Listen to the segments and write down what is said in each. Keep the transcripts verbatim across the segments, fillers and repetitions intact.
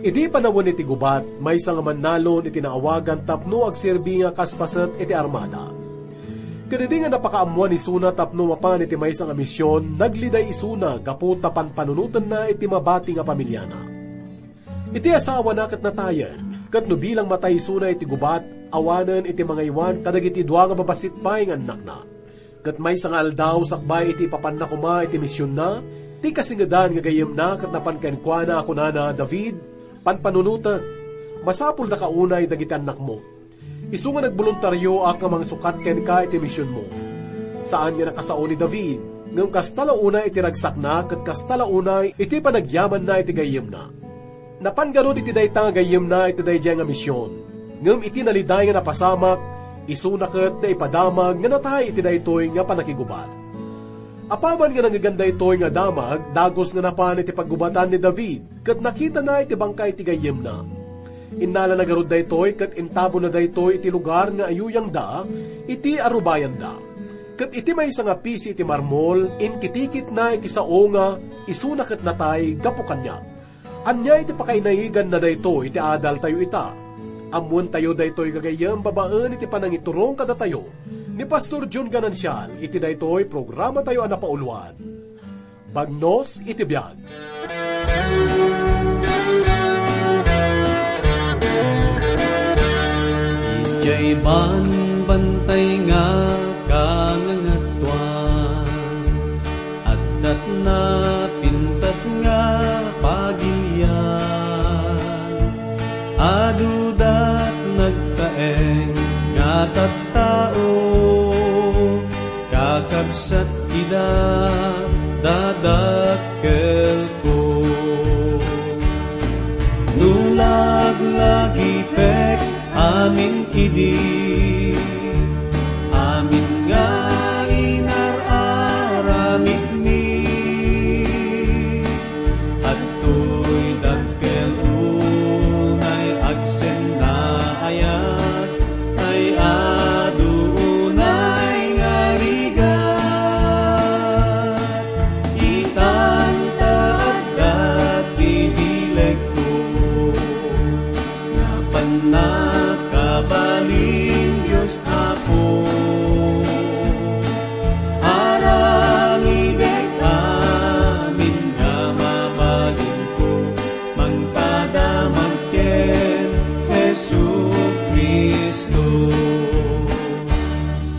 Idi panawen iti gubat, maysa nga mannalon iti naawagan tapno agserbi nga kas paset iti armada. Ket idi nga napakaammoan isuna tapno mapan iti maysa nga mision, nagliday isuna gapu ta panpanunotenna iti mabati nga pamiliana. Iti asawana ket natayen, ket no bilang matay isuna iti gubat, awanen iti mangaywan kadagiti dua nga babassit pay nga annakna. Ket maysa nga aldaw, sakbay iti ipapanna koma iti misionna, ti kasingedan nga gayyemna ket napan kenkuana a kunana, "David, panpanunotek, masapuldaka unay dagiti annakmo. Isu nga nagboluntarioak nga mangsukat kenka iti misionmo." Saan nga nakasao ni David, ngem kasta la unay iti ragsakna ket kasta la unay iti panagyamanna iti gayyemna. Napan garud iti dayta nga gayyemna iti daydiay nga mision. Ngem iti naliday nga napasamak, isuna ket naipadamag nga natay iti daytoy nga pannakigubat. Apaman nga nangngegan daytoy nga damag, dagus nga napan iti paggubatan ni David, ket nakitana iti bangkay ti gayyemna. Innalana garud daytoy ket intabonna daytoy iti lugar nga ayuyangda iti arubayanda. Ket iti maysa nga pisi iti marmol, inkitikitna iti sao nga isuna ket natay gapu kaniak. Ania iti pakainayiganna daytoy iti adaltayo ita? Ammoentayo daytoy gagayyem babaen iti panangiturong kadatayo ni Pastor Jun Ganancial iti daytoy programatayo a napauluan, Bagnos iti Biag. Idiay banbantay nga kangangatuan, addat napintas nga pagilian. Adudat nagtaeng nga tattao, kakabsat, ida dadakkelko. No laglagipek amin idi, amin nga inar-aramidmi. Adtoy dakkel unay agsennaayat, tay adu unay nga rigat. Itan ta adda ti bilegko, nga pannakabalin, Dios Apo. Aramidek amin nga mabalinko, mangpadamag ken Jesu-Cristo.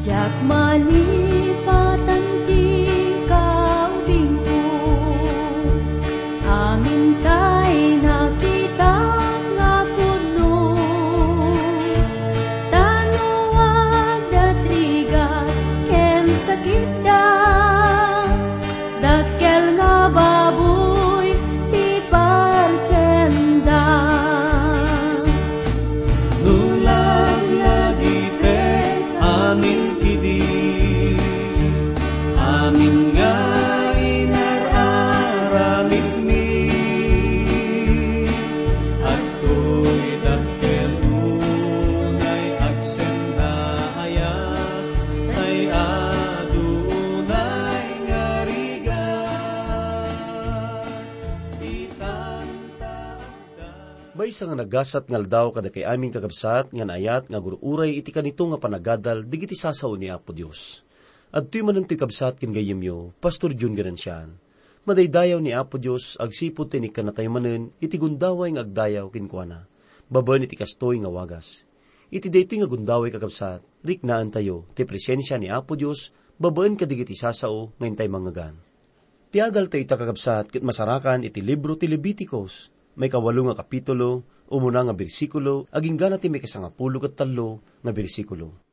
Diak malipatan ti kaudingko, amin tay nakitak nga pudno. Ta no adda rigat ken sakitda, dakkel nga baboy ti partienda. No laglagipek amin idi, amin nga inar-aramidmi. Adtoy dakkel unay agsennaayat, tay adu unay nga rigat. Itan ta adda. Maysa nga nagasat nga aldaw kadakay amin, kakabsat, nga naayat nga agur-uray iti kanito nga panagadal dagiti sasao ni Apo Dios. Adtoy manen toy, kabsat ken gayyemyo, Pastor Jun Ganancial. Madaydayaw ni Apo Dios agsipud ta inikkannatayo manen iti gundaway nga agdayaw kenkuana, babaen iti kastoy nga wagas. Iti daytoy nga gundaway, kakabsat, riknaentayo ti presensia ni Apo Dios babaen kadagiti sasao nga intay mangngegan. Ti adaltayo ita, kakabsat, ket masarakan iti libro ti Leviticos, maikawalo nga kapitulo, umuna nga bersikulo, agingga na ti maikasangapulo ket tallo nga bersikulo.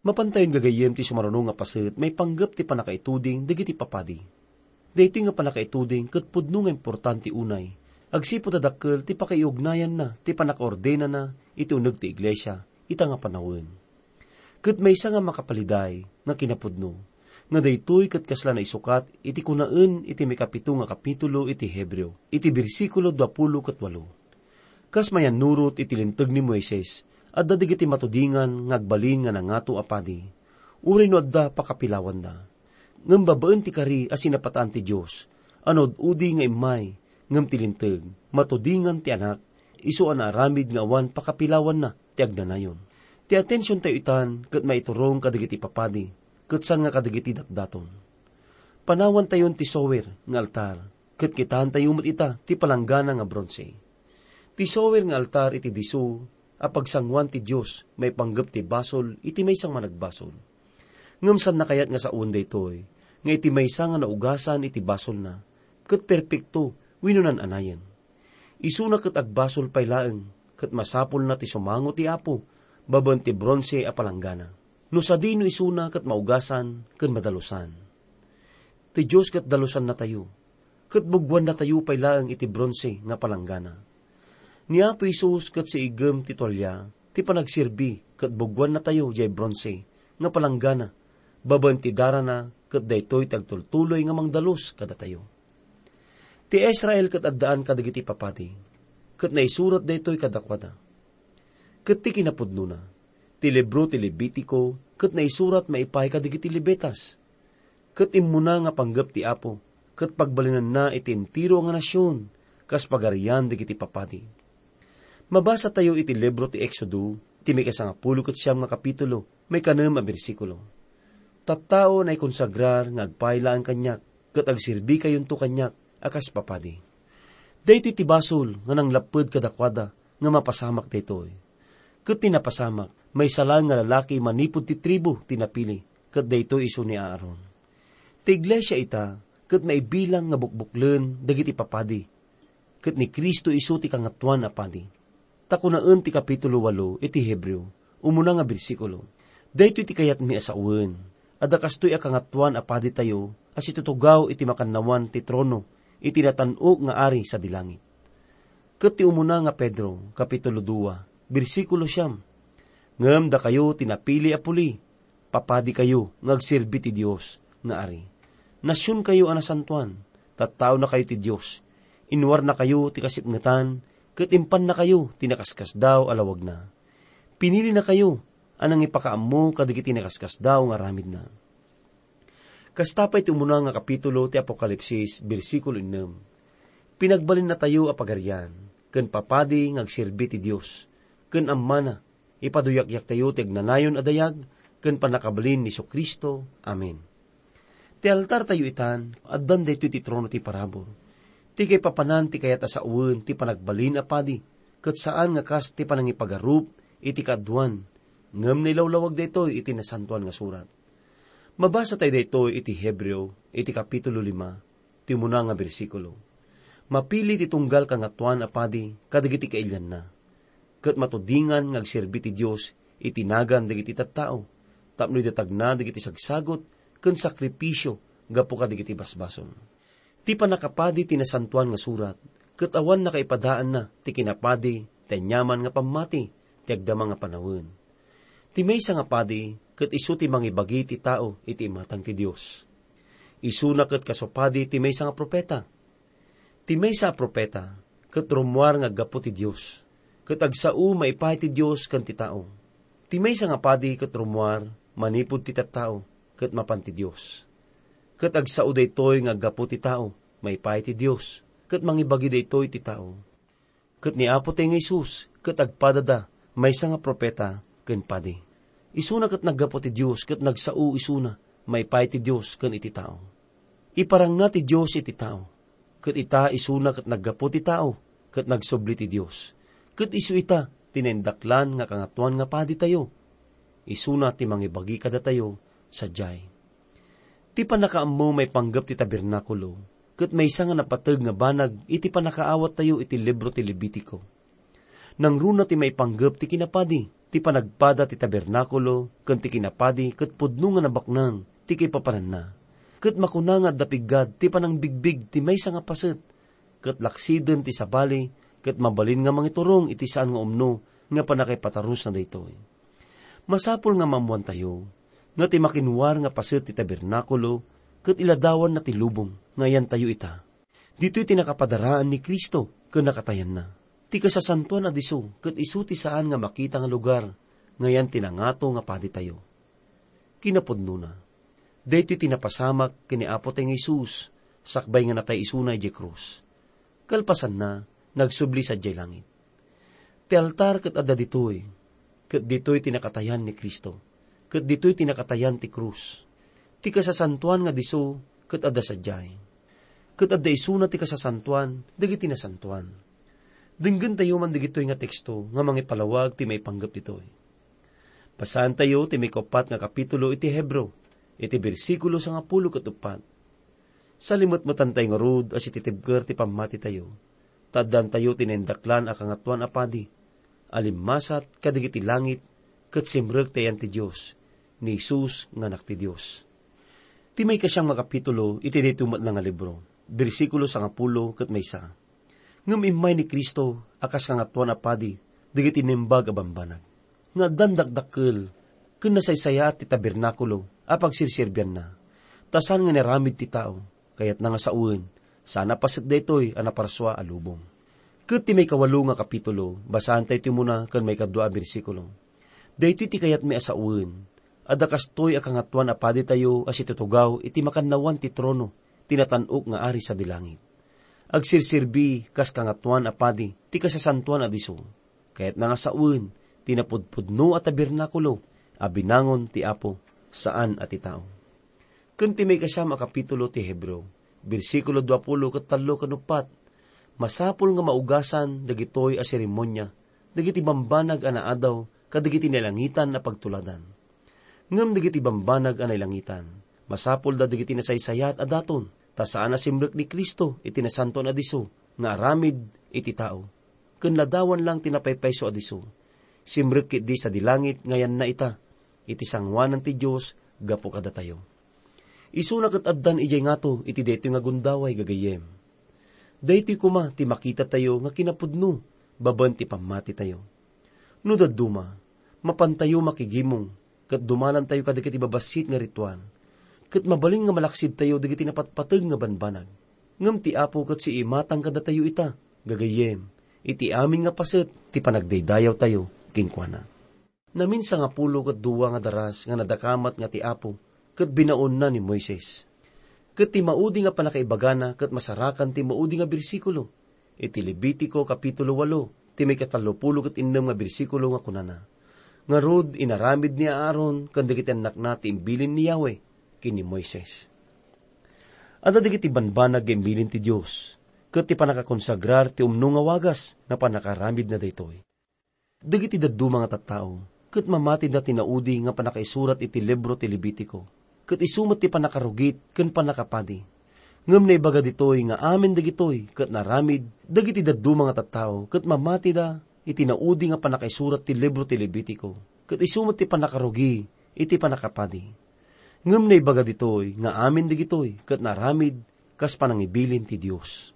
Mapantayon gagayyem ti sumaruno nga paset maipanggep ti pannakaituding dagiti papadi. Daytoy nga pannakaituding ket pudno nga importante unay, agsipud ta dakkel ti pakaiugnayanna ti pannakaordenana iti uneg ti iglesia ita nga panawen. Ket maysa nga makapaliday nga kinapudno, nga daytoy ket kasla naisukat iti kunaen iti maikapito nga kapitulo iti Hebreo, iti bersikulo duapulo ket walo. Kas mayannurot iti Linteg ni Moises, adda dagiti matudingan nga agbalin nga nangato a padi, uray no adda pakapilawanda. Ngem babaen ti kari a sinapataan ti Dios, a no ad-udi nga immay, ngem ti Linteg, matudingan ti Anak, isu a naaramid nga awan pakapilawanna ti agnanayon. Ti atensiontayo itan ket maiturong kadagiti papadi, ket saan nga kadagiti datdaton. Panawantayon ti sower nga altar, ket kitaentayo met ita ti palanggana nga bronse. Ti sower nga altar iti disso a pagsangoan ti Dios maipanggep ti basol iti maysa nga managbasol. Ngem saanna kayat nga saoen daytoy, nga iti maysa nga naugasan iti basolna, ket perpekto wenno nan-anayen. Isuna ket agbasol pay laeng, ket masapulna ti sumango ti Apo babaen ti bronse a palanggana. No sadino isuna ket maugasan ken madalusan. Ti Dios ket dalusannatayo, ket buggoannatayo pay laeng iti bronse nga palanggana. Ni Apo Jesus ket siigem ti tualia ti panagserbi ket buggoannatayo diay bronse nga palanggana babaen ti darana ket daytoy ti agtultuloy nga mangdalus kadatayo. Ti Israel ket addaan kadagiti papadi, ket naisurat daytoy kadakuada. Ket ti kinapudnona, ti libro ti Levitico ket naisurat maipaay kadagiti Levitas. Ket immuna nga panggep ti Apo, ket pagbalinanna iti entero nga nasion, kas pagarian dagiti papadi. Mabasatayo iti libro ti Exodo, ti mikasangapulo ket siam nga kapitulo, maikanem a bersikulo. Tattao a naikonsagrar nga agpaay laeng kaniak, ket agserbikayonto kaniak a kas papadi. Daytoy ti basol nga nanglapped kadakuada nga mapasamak daytoy. Ket ti napasamak, maysa laeng nga lalaki manipud ti tribu ti napili, ket daytoy isu ni Aaron. Ti iglesia ita, ket maibilang nga bukbuklen dagiti papadi, ket ni Cristo isu ti Kangatoan a Padi. Ta kunaen ti kapitulo walo iti Hebreo, umuna nga bersikulo, "Daytoy ti kayatmi a sawen, adda kastoy a Kangatoan a Paditayo a situtugaw iti makannawan ti trono iti natan-ok nga Ari sadi langit." Ket ti umuna nga Pedro, kapitulo dua, bersikulo siam, "Ngem dakayo ti napili a puli, papadikayo nga agserbi ti Dios nga Ari. Nasionkayo a nasantoan, tattaonakayo ti Dios. Inwarnakayo ti kasipngetan, ket impannakayo ti nakaskasdaaw a lawagna. Pinilinakayo a nangipakaammo kadagiti nakaskasdaaw nga aramidna." Kasta pay ti umuna nga kapitulo ti Apokalipsis, bersikulo ennem, "Pinagbalinnatayo a pagarian, ken papadi nga agserbi ti Dios, ken ammana, ipaduyakyaktayo ti agnanayon a dayag ken pannakabalin ni Jesu-Cristo. Amen." Ti altartayo itan, addan daytoy ti trono ti parabur. Ti kaipapanan ti kayat a sawen ti panagbalin a padi, ket saan nga kas ti panangipagarup iti kaaduan, ngem nailawlawag daytoy iti Nasantoan nga Surat. Mabasatayo daytoy iti Hebreo, iti kapitulo lima, ti umuna nga bersikulo. "Mapili ti tunggal kangatoan a padi kadagiti kailianna, ket matudingan nga agserbi ti Dios iti nagan dagiti tattao, tapno idatagna dagiti sagsagut ken sakripisio gapu kadagiti basbasol." Ti pannakapadi ti Nasantoan nga Surat, ket awan nakaipadaanna ti kinapadi, ti aniaman nga pammati, ti agdama nga panawen. Ti maysa nga padi, ket isu ti mangibagi ti tao iti imatang ti Dios. Isuna ket kasupadi ti maysa nga profeta. Ti maysa a profeta, ket rummuar nga aggapu ti Dios, ket agsao maipaay ti Dios ken ti tao. Ti maysa nga padi ket rummuar manipud ti tattao, ket mapan ti Dios. Ket agsao daytoy nga aggapu ti tao maipaay ti Dios, ket mangibagi daytoy ti tao. Ket ni Apo tayo nga Jesus ket agpadada maysa nga profeta ken padi. Isuna ket naggapu ti Dios ket nagsao isuna maipaay ti Dios ken iti tao. Iparangna ti Dios iti tao, ket ita isuna ket naggapu ti tao ket nagsubli ti Dios. Ket isu ita ti naindaklan nga Kangatoan nga Paditayo. Isuna ti mangibagi kadatayo sadiay. Ti pannakaammo maipanggep ti tabernakulo ket maysa nga napateg nga banag iti pannakaawattayo iti libro ti Levitico. Nangruna ti maipanggep ti kinapadi, ti panagpada ti tabernakulo ken ti kinapadi ket pudno nga nabaknang ti kaipapananna. Ket makuna nga adda piggad ti panangbigbig ti maysa nga paset, ket laksiden ti sabali ket mabalin nga mangiturong iti saan nga umno nga pannakaipatarusna daytoy. Masapul nga maammoantayo nga ti makinwar nga paset ti tabernakulo ket iladawanna ti lubong nga ayantayo ita. Ditoy ti nakapadaraan ni Cristo ken nakatayanna. Ti kasasantoan a disso ket isu ti saan nga makita nga lugar nga ayan ti nangato nga paditayo. Kinapudnona, daytoy ti napasamak ken ni Apo tayo nga Jesus sakbay nga natay isuna idiay krus. Kalpasanna, nagsubli sadiay langit. Ti altar ket adda ditoy, ket ditoy ti nakatayan ni Cristo, ket ditoy ti nakatayan ti krus. Ti kasasantoan nga disso ket adda sadiay, ket adda isuna ti kasasantoan dagiti nasantoan. Denggentayo man dagitoy nga teksto nga mangipalawag ti maipanggep ditoy. Basaentayo ti maikaupat nga kapitulo iti Hebreo, iti bersikulo sangapulo ket uppat. Salimetmetantayo ngarud a sititibker ti pammatitayo, ta addantayo ti naindaklan a Kangatoan a Padi, a limmasat kadagiti langit ket simrek ti ayan ti Dios, ni Jesus nga Anak ti Dios. Ti maikasiam nga kapitulo iti daytoy met la nga libro, bersikulo sangapulo ket maysa. Ngem immay ni Cristo a kas Kangatoan a Padi dagiti naimbag a bambanag, nga addan dakdakkel ken nasaysayaat ti tabernakulo a pagserserbianna, ta saan nga inaramid ti tao, kayatna nga sawen, saan a paset daytoy a naparsua a lubong. Ket ti maikawalo nga kapitulo, basaentayo ti umuna ken maikadua a bersikulo. Daytoy ti kayatmi a sawen, adda kastoy a Kangatoan a Paditayo a situtugaw iti makannawan ti trono ti natan-ok nga Ari sadi langit. Agserserbi kas Kangatoan a Padi ti kasasantoan a disso. Kayatna nga sawen ti napudpudno a tabernakulo a binangon ti Apo, saan a ti tao. Ken ti maikasiam a kapitulo ti Hebreo, bersikulo duapulo ket tallo ken uppat, masapul nga maugasan dagitoy a seremonia dagiti bambanag a naadaw kadagiti nailangitan a pagtuladan. Ngem dagiti bambanag a nailangitan, masapulda dagiti nasaysayaat a daton, ta saan a simrek ni Cristo iti nasantoan a disso nga aramid iti tao, ken ladawan lang ti napaypayso a disso. Simrek ketdi sadi langit nga ayanna ita, iti sangoanan ti Dios gapu kadatayo. Isuna ket addan idiay ngato iti daytoy nga gundaway, gagayyem. Daytoy koma ti makitatayo nga kinapudno babaen ti pammatitayo. No dadduma, mapantayo makigimong ket dumanantayo kadagiti babassit nga ritual, ket mabalin nga malaksidtayo dagiti napatpateg nga banbanag. Ngem ti Apo ket siimatang kadatayo ita, gagayyem, iti amin nga paset ti panagdaydayawtayo kenkuana. Namin sangapulo ket dua nga daras nga nadakamat nga ti Apo ket binaonna ni Moises. Ket ti maudi nga pannakaibagana ket masarakan ti maudi nga bersikulo iti Levitico kapitulo walo, ti maikatallopulo ket innem nga bersikulo nga kunana, "Ngarud, inaramid ni Aaron ken dagiti annakna ti imbilin ni Yahweh ken ni Moises." Adda dagiti banbanag nga imbilin ti Dios, ket ti pannakakonsagrar ti umno nga wagas nga pannakaramidna daytoy. Dagiti dadduma nga tattao ket mamatida ti naudi nga pannakaisurat iti libro ti Levitico, ket isu met ti pannakarugit ken pannakapadi. Ngem naibaga ditoy nga amin dagitoy ket naaramid dagiti dadduma nga tattao ket mamatida iti naudi nga pannakaisurat ti libro ti Levitico, ket isu met ti pannakarugi iti pannakapadi. Ngem naibaga ditoy nga amin dagitoy ket naaramid kas panangibilin ti Dios.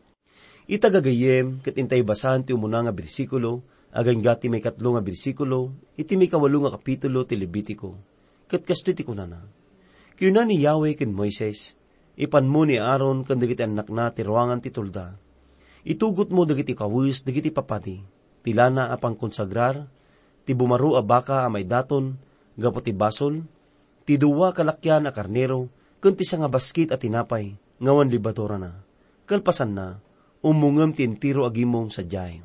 Ita gagayyem, ket intay basaen ti umuna nga bersikulo, agingga ti maikatlo nga bersikulo, iti maikawalo nga kapitulo ti Levitico. Ket kastoy ti kunana, "Kinuna ni Yahweh ken Moises, 'Ipanmo ni Aaron ken dagiti annakna ti ruangan ti tulda. Itugotmo dagiti kawes dagiti papadi, ti lana a pangkonsagrar, ti bumaro a baka a maidaton gapu ti basol, ti dua ka lakian a karnero, ken ti sangabaskit a tinapay nga awan lebadurana. Kalpasanna, ummongem ti entero a gimong sadiay.'"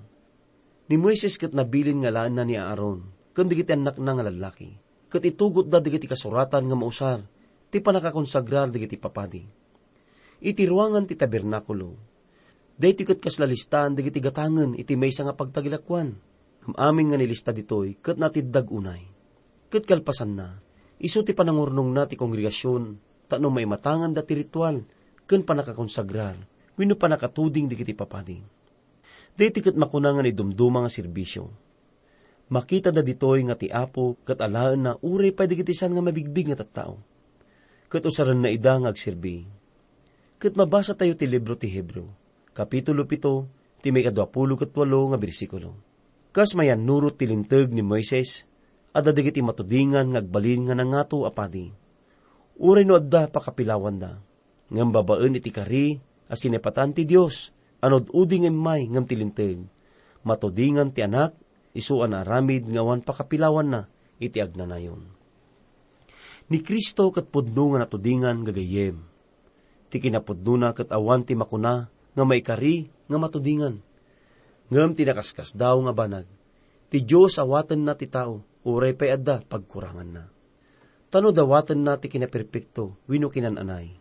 Ni Moises ket nabilin nga alaenna ni Aaron ken dagiti annakna nga lallaki, ket itugotda dagiti kasuratan nga mausar ti pannakakonsagrar dagiti papadi. Iti ruangan ti tabernakulo, daytoy ket kasla listaan dagiti gatangen iti maysa nga pagtagilakoan, ngem amin nga nilista ditoy ket natiddag unay. Ket kalpasanna, isu ti panangurnongna ti kongregasion tapno maimatanganda ti ritual ken pannakakonsagrar wenno pannakatuding dagiti papadi. Daytoy ket makuna nga naidumduma nga serbisio. Makitada ditoy nga ti Apo ket alaenna uray pay dagiti saan nga mabigbig nga tattao. Ket usarenna ida nga agserbi. Ket mabasatayo ti libro ti Hebreo, kapitulo pito, ti maikaduapulo ket walo nga bersikulo. Kas mayannurot ti Linteg ni Moises, adda dagiti matudingan nga agbalin nga nangato a padi. Uray no adda pakapilawanda, ngem babaen iti kari a sinepatan ti Dios a nududi nga immay ngem ti Linteg, matudingan ti Anak, isu a naaramid nga awan pakapilawanna iti agnanayon. Ni Cristo ket pudno nga natudingan, gagayyem. Ti kinapudnona ket awan ti makuna nga maikari nga matudingan. Ngem ti nakaskasdaaw nga banag, Ti Dios awatenna ti tao, uray pay adda pagkuranganna. Ta no dawatenna ti kinaperpekto wenno kinan-anay,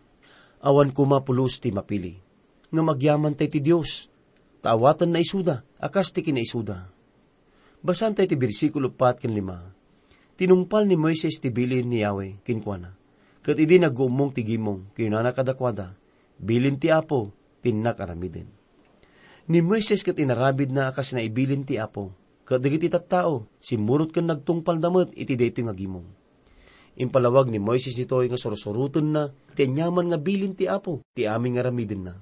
awan koma pulos ti mapili. Ngem agyamantay ti Dios, ta awatenna isuda a kas ti kinaisuda. Basaentayo ti bersikulo pat ken lima. Tinungpal ni Moises ti bilin ni Yahweh kenkuana, ket idi nagguummong ti gimong, kinunana kadakuada, "Bilin ti Apo ti innak aramiden." Ni Moises ket inaramidna a kas naibilin ti Apo, ket dagiti tattao, simmurot ken nagtungpalda met iti daytoy nga gimong. Impalawag ni Moises ditoy nga sursurotenna ti aniaman nga bilin ti Apo ti amin nga aramidenna.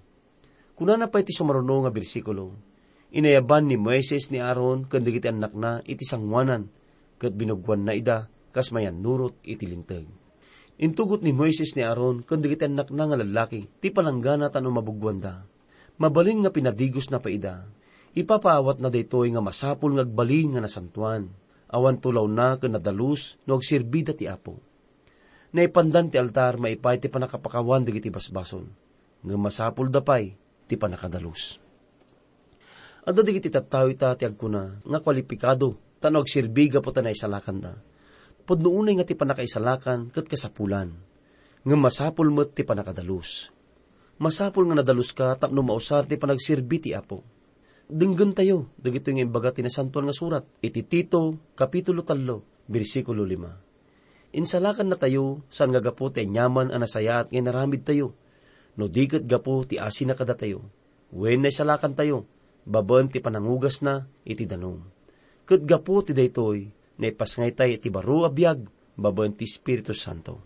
Kunana pay ti sumaruno nga bersikulo, "Inayaban ni Moises ni Aaron ken dagiti annakna iti sangoanan, ket binuggoanna ida kas mayannurot iti Linteg." Intugot ni Moises ni Aaron ken dagiti annakna nga lallaki ti palanggana tapno mabuggoanda. Mabalin nga pinadigosna pay ida. Ipapaawatna daytoy nga masapul nga agbalin nga nasantoan. Awan tulawna ken nadalus no agserbida ti Apo. Naipandan ti altar maipaay ti pannakapakawan dagiti basbasol, ngem masapulda pay ti pannakadalus. Adda dagiti tattao ita ti agkuna nga kualipikado tapno agserbi gapu ta naisalakanda. Pudno unay nga ti pannakaisalakan ket kasapulan, ngem masapul met ti pannakadalus. Masapul nga nadaluska tapno mausar ti panagserbi ti Apo. Denggentayo dagitoy nga imbaga ti Nasantoan nga Surat iti Tito, Kapitulo tallo, bersikulo lima. Insalakannatayo saan nga gapu ti aniaman a nasayaat nga inaramidtayo, no di ket gapu ti asina kadatayo. Wen naisalakantayo babaen ti panangugasna iti danum. Ket gapu ti daytoy, naipasngaytay iti baro a biag babaen ti Espiritu Santo.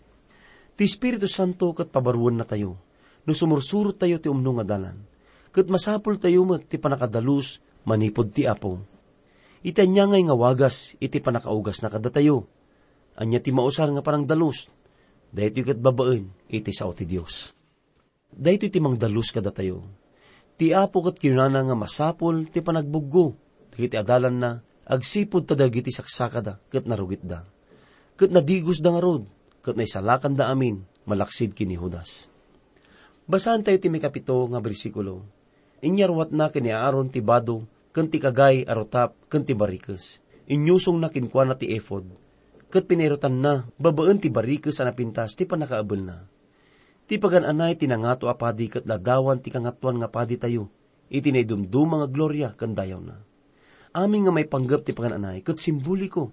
Ti Espiritu Santo ket pabaruennatayo no sumursurottayo ti umno nga dalan, ket masapultayo met ti pannakadalus manipud ti Apo. Iti ania ngay nga wagas iti pannakaugasna kadatayo? Ania ti mausar nga panangdalus? Daytoy ket babaen iti sao ti Dios. Daytoy ti mangdalus kadatayo. Ti Apo ket kinunana nga masapul ti panagbuggo dagiti adalanna agsipud ta dagiti saksakada ket narugitda, ket nadigosda ngarud, ket naisalakanda amin malaksid ken ni Judas. Basaentayo ti maikapito nga bersikulo. Inyaruatna ken ni Aaron ti bado ken ti kagay a rutap ken ti barikes. Inyusongna kenkuana ti ephod, ket pinairutanna babaen ti barikes a napintas ti pannakaabelna. Ti pagan-anay ti nangato a padi ket ladawan ti Kangatoan nga Paditayo iti naidumduma nga gloria ken dayawna. Amin nga maipanggep ti pagan-anay ket simboliko.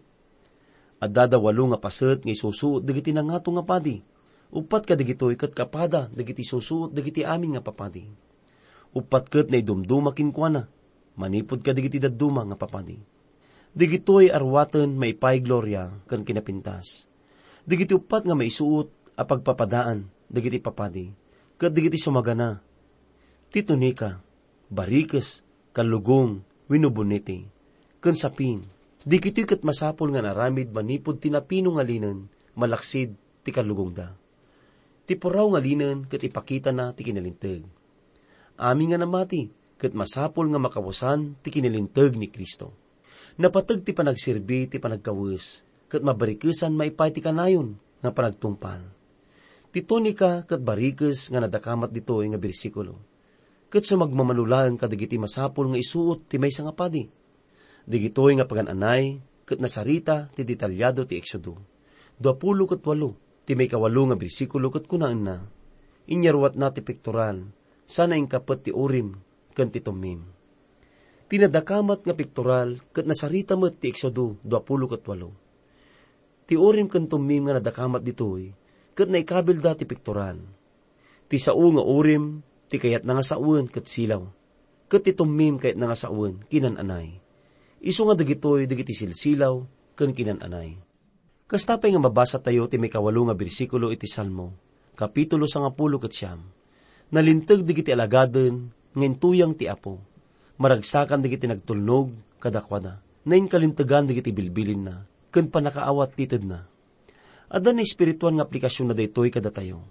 Addada walo nga paset nga isusuot dagiti nangato nga padi. Uppat kadagitoy ket kapada dagiti isusuot dagiti amin nga papadi. Uppat ket naidumduma kenkuana, manipud kadagiti dadduma nga papadi. Dagitoy a ruaten maipaay gloria ken kinapintas. Dagiti uppat nga maisuot a pagpapadaan dagiti papadi ket dagiti sumagana, ti tunika, barikes, kallugong, wenno bonete, ken sapin. Dagitoy ket masapul nga naaramid manipud ti napino nga linen malaksid ti kallugongda. Ti puraw nga linen ket ipakitana ti kinalinteg. Amin nga namati ket masapul nga makawesan ti kinalinteg ni Cristo. Napateg ti panagserbi ti panagkawes, ket mabarikesan maipaay ti kanayon nga panagtungpal. Ti tunika ket barikes nga nadakamat ditoy nga bersikulo, ket sumagmamano laeng kadagiti masapul nga isuot ti maysa nga padi. Dagitoy nga pagan-anay ket nasarita ti detalyado ti Exodo duapulo ket walo, ti maikawalo nga bersikulo ket kunaenna, "Inyaruatna ti pektoral, sana inkapet ti Urim ken ti Tummim." Ti nadakamat nga pektoral ket nasarita met ti Exodo duapulo ket walo. Ti Urim ken Tummim nga nadakamat ditoy ket naikabilda ti pektoral. Ti sao nga Urim, ti kayatna nga sawen ket silaw, ket ti Tummim kayatna nga sawen kinan-anay. Isu nga dagitoy dagiti silsilaw ken kinan-anay. Kasta pay nga mabasatayo ti maikawalo nga bersikulo iti Salmo, kapitulo sangapulo ket siam. Nalinteg dagiti alagaden nga intuyang ti Apo. Maragsakan dagiti nagtulnog kadakuada. Nainkalintegan dagiti bilbilinna ken pannakaawat ti tedna. Adda naespirituan nga aplikasionna daytoy kadatayo.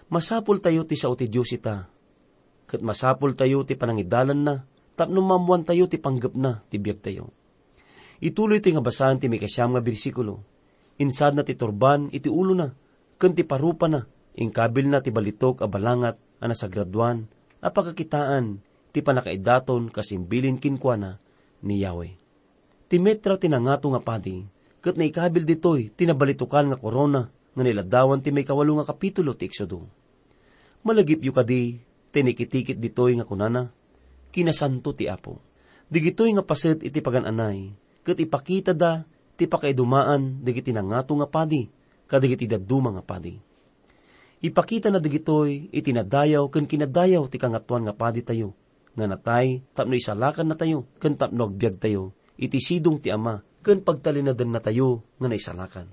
Masapultayo ti sao ti Dios ita, ket masapultayo ti panangidalanna tapno maammoantayo ti panggepna ti biagtayo. Ituloytoy nga basaen ti maikasiam nga bersikulo. Insadna ti turban iti ulona, ken ti parupana, inkabilna ti balitok a balangat a nasagradoan a pakakitaan ti pannakaidaton kas imbilin kenkuana ni Yahweh. Ti metra ti nangato nga padi, ket naikabil ditoy ti nabalitokan nga korona nga nailadawan ti maikawalo nga kapitulo ti Exodo. Malagipyo kadi ti nakitikit ditoy nga kunana, "Kinasanto ti Apo." Digitoy nga paset iti pagan-anay, ket ipakitada ti pakaidumaan dagiti nangato nga padi kadagiti dadduma nga padi. Ipakitana dagitoy iti nadayaw ken kinadayaw ti Kangatoan nga Paditayo, nga natay tapno isalakannatayo ken tapno agbiagtayo iti sidong ti Ama ken pagtalinadennatayo nga naisalakan.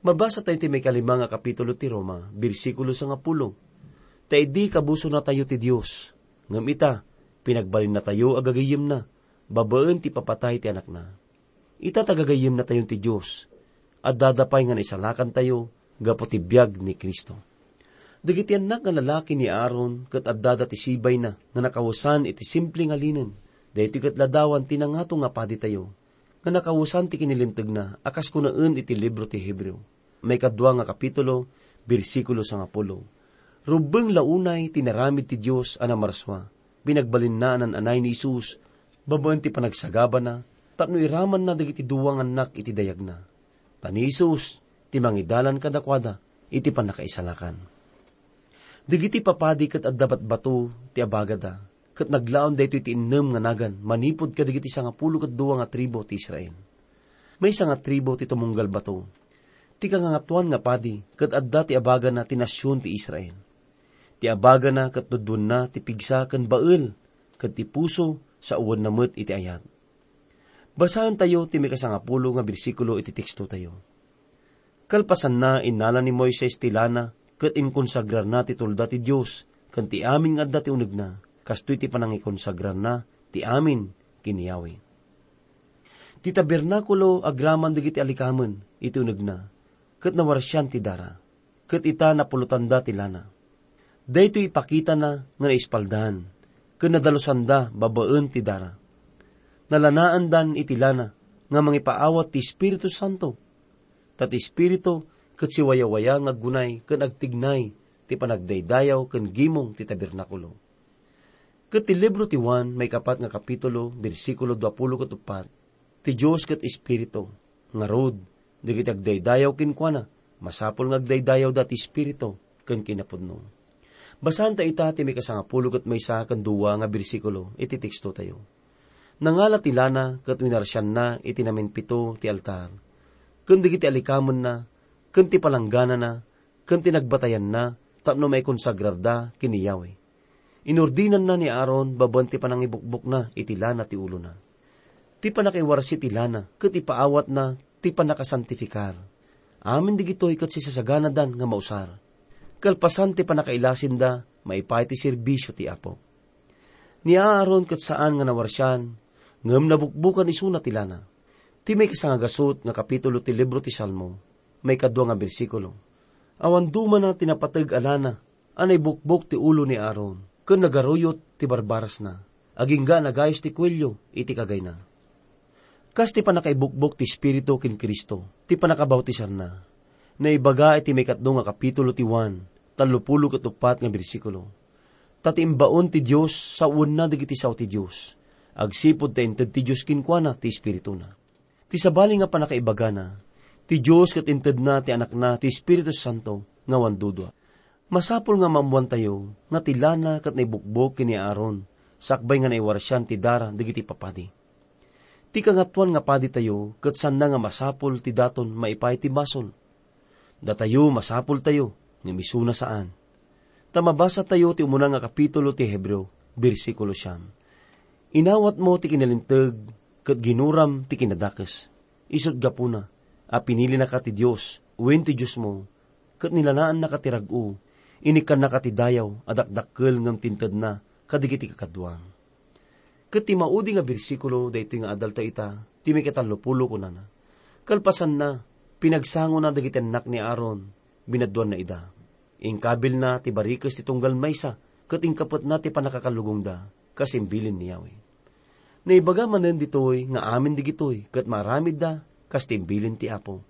Mabasatayo ti maikalima nga kapitulo ti Roma, bersikulo sangapulo. Ta idi kabusonatayo ti Dios, ngem ita, pinagbalinnatayo a gagayyemna, babaen ti ipapatay ti Anakna. Ita ta gagayyemnatayon ti Dios, addada pay nga naisalakantayo gapu ti biag ni Cristo. Dagiti annak nga lalaki ni Aaron ket addada ti sibayna nga nakawesan iti simple nga linen. Daytoy ket ladawan ti nangato nga paditayo, nga nakawesan ti kinilintegna a kas kunaen iti libro ti Hebreo, maikadua nga kapitulo, bersikulo sangapulo. Rubbeng la unay ti naramid ti Dios a namarsua. Pinagbalinna a nan-anay ni Jesus babaen ti panagsagabana tapno iramanna dagiti dua nga annak iti dayagna. Ta ni Jesus ti mangidalan kadakuada iti pannakaisalakan. Dagiti papadi ket adda batbato ti abagada, ket naglaon daytoy ti innem nga nagan manipud kadagiti sangapulo ket dua nga tribu ti Israel. Maysa nga tribu ti tumunggal bato. Ti kangangatoan nga padi ket adda ti abagana ti nasion ti Israel. Ti abagana ket duduenna ti pigsa ken bael, ket ti puso sawenna met iti ayat. Basaentayo ti maikasangapulo nga bersikulo iti tekstotayo. Kalpasanna, innala ni Moises ti lana ket inkonsagrarna ti tulda ti Dios ken ti amin nga adda ti unegna, kastoy ti panangikonsagrarna ti amin ken ni Yahweh. Ti tabernakulo agraman dagiti alikamen iti unegna, ket nawarsian ti dara, ket ita napulotanda ti lana. Daytoy ipakitana nga naispaldan ken nadalosanda babaen ti dara. Nalanaandan iti lana nga mangipaawat ti Espiritu Santo. Ta ti Espiritu ket siwayawaya nga aggunay ken agtignay ti panagdaydayaw ken gimong ti tabernakulo. Ket ti libro ti Juan, maikapat nga kapitulo, bersikulo duapulo ket uppat, ti Dios ket Espiritu, ngarud, dagiti agdaydayaw kenkuana, masapul nga agdaydayawda ti Espiritu ken kinapudno. Basaanta ita ti maikasangapulo ket maysa ken dua nga bersikulo iti tekstotayo. Nangala ti lana ket winarsianna iti namimpito ti altar, ken dagiti alikamenna, ken ti palangganana, ken ti nagbatayanna tapno maikonsagrarda ken ni Yahweh. Inurdinanna ni Aaron babaen ti panangibukbokna iti lana ti ulona. Ti pannakaiwarsi ti lana ket ipaawatna ti pannakasantifikar. Amin dagitoy ket sisasaganadan nga mausar. Kalpasan ti pannakailasinda, maipaay ti serbisio ti Apo. Ni Aaron ket saan nga nawarsian, ngem nabukbokan isuna ti lana. Ti maikasangagasut nga kapitulo ti libro ti Salmo, maikadua nga bersikulo. Awan dumana ti napateg a lana a naibukbok ti ulo ni Aaron, ken nagaruyot ti barbarasna, agingga a nagayos ti kuelio iti kagayna. Kas ti pannakaibukbok ti Espiritu ken Cristo, ti pannakabautisarna. Naibaga iti maikatlo nga kapitulo ti Juan, tallopulo ket uppat nga bersikulo. Ta ti imbaon ti Dios sawenna dagiti sao ti Dios, agsipud ta inted ti Dios kenkuana ti Espirituna. Ti sabali nga pannakaibagana, ti Dios ket intedna ti Anakna ti Espiritu Santo nga awan dudua. Masapul nga maammoantayo nga ti lana ket naibukbok ken ni Aaron, sakbay nga naiwarsian ti dara dagiti papadi. Ti kangatoan nga paditayo ket saanna nga masapul ti daton maipaay ti basol. Datayo masapultayo, ngem isuna saan. Ta mabasatayo ti umuna nga kapitulo ti Hebreo, bersikulo siam. Inawatmo ti kinalinteg ket ginuram ti kinadakes. Isut' gapuna a pinilinaka ti Dios wen ti Diosmo, ket nilanaannaka ti rag-o, inikkannaka ti dayaw a dakdakkel ngem ti intedna kadagiti kakaduam. Ket ti maudi nga bersikulo daytoy nga adalta ita, ti maikatallopulo, kunana, "Kalpasanna, pinagsangona dagiti annak ni Aaron, binadduanna ida. Inkabilna ti barikes ti tunggal maysa, ket inkapetna ti pannakakallugongda, kas imbilin ni Yahweh." Naibaga manen ditoy nga amin dagitoy ket maaramidda kas ti imbilin ti Apo.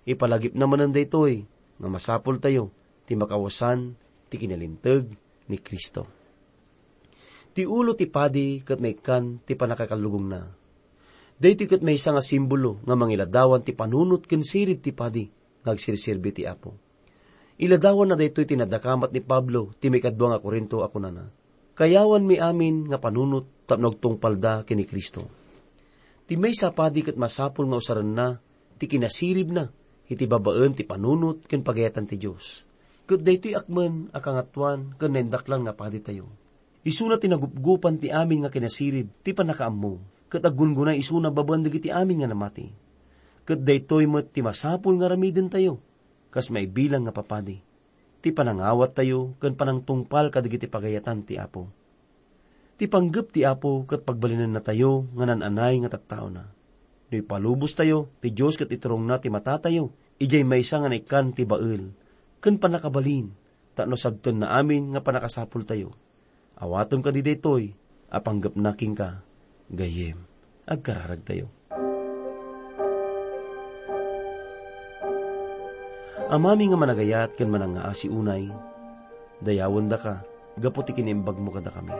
Ipalagipna manen daytoy nga masapultayo ti makawesan ti kinalinteg ni Cristo. Ti ulo ti padi ket maikkan ti pannakakallugongna. Daytoy ket maysa nga simbolo nga mangiladawan ti panunot ken sirib ti padi nga agsirserbi ti Apo. Iladawanna daytoy ti nadakamat ni Pablo ti maikadua nga Corinto a kunana, "Kayawanmi amin nga panunot tapno agtungpalda ken ni Cristo." Ti maysa a padi ket masapul nga usarenna ti kinasiribna iti babaen ti panunot ken pagayatan ti Dios. Ket daytoy akmen a kangatoan ken naindaklan nga paditayo. Isuna ti nagupgupan ti amin nga kinasirib ti pannakaammo, ket aggungguna isuna babaen dagiti amin nga namati. Ket daytoy met ti masapul nga aramidentayo, kas maibilang nga papadi, ti panangawattayo ken panangtungpal kadagiti pagayatan ti Apo. Ti panggep ti Apo ket pagbalinennatayo nga naan-anay nga tattaona. No ipalubostayo, ti Dios ket iturongna ti matatayo idiay maysa nga naikkan ti bael ken pannakabalin tapno sabtenna amin nga pannakasapultayo. Awatem kadi daytoy a panggepna kenka, gayyem. Agkararagtayo. Amami nga managayat ken manangngaasi unay, dayawendaka gapu ti kinaimbagmo kadakami.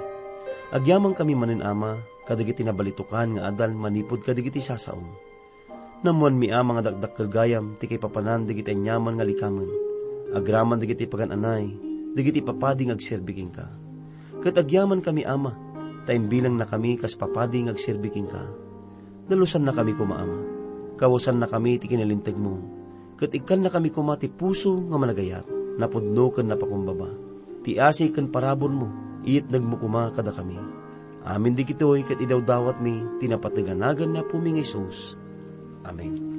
Agyamankami manen, Ama, kadagiti nabalitokan nga adal manipud kadagiti sasaom. Nammuanmi, Ama, nga dakdakkel gayam ti kaipapanan dagiti aniaman nga likamen, agraman dagiti pagan-anay, dagiti papadi nga agserbi kenka. Ket agyamankami, Ama, ta imbilangnakami kas papadi nga agserbi kenka. Dalusannakami koma, Ama. Kawesannakami ti kinalintegmo, ket ikkannakami koma ti puso nga managayat, napudno ken napakumbaba. Ti asi ken paraburmo, iyetnegmo koma kadakami. Amin dagitoy ket idawdawatmi ti napateg a nagan ni Apomi nga Jesus. Amen.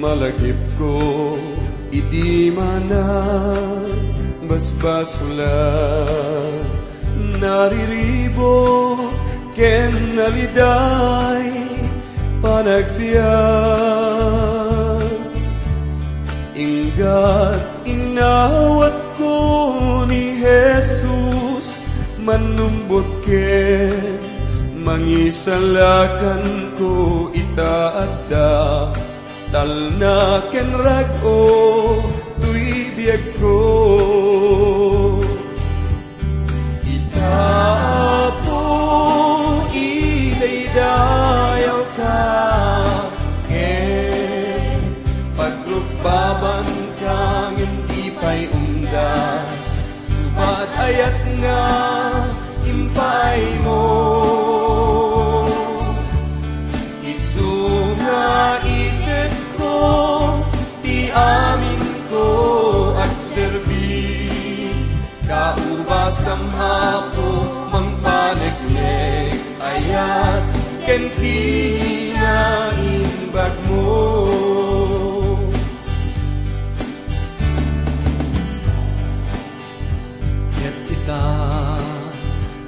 Malagipko idi manang basbasolan, nariribo ken naliday panagbiag. Inggat inawatko ni Jesus, mannumbot ken mangisalakanko ita adda. Talna ken rag-o toy biagko. Ita, Apo, idaydayawka, ken pagrukbabanka ngem di pay undas. Subat ayat nga impaaymo, isu nga itetko ti aminko agserbi. Kaubasam, Apo, mangpaneknek, ayat ken kinaimbagmo. Ket ita,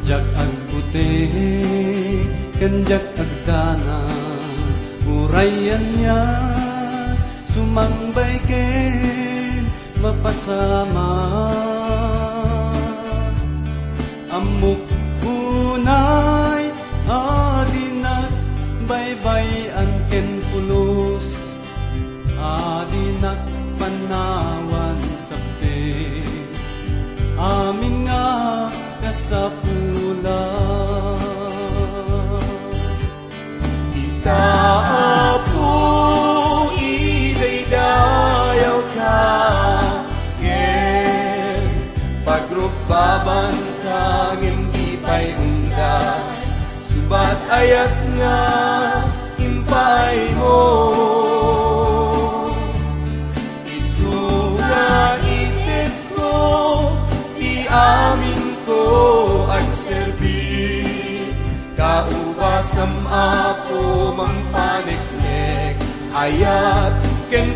diak agbuting ken diak agdanag, uray ania, sumangbay ken mapasamak. Ammok unay a dinak baybay-an ken pulos, a dinak panawan sakbay amin nga kasapulan. Ita, Apo, idaydayawka, ngem pagrukbabanka, ngem di pay undas, subat ayat nga impaaymo. Isu nga itedko ti aminko agserbi. Kaubasam, Apo, mangpaneknek, ayat ken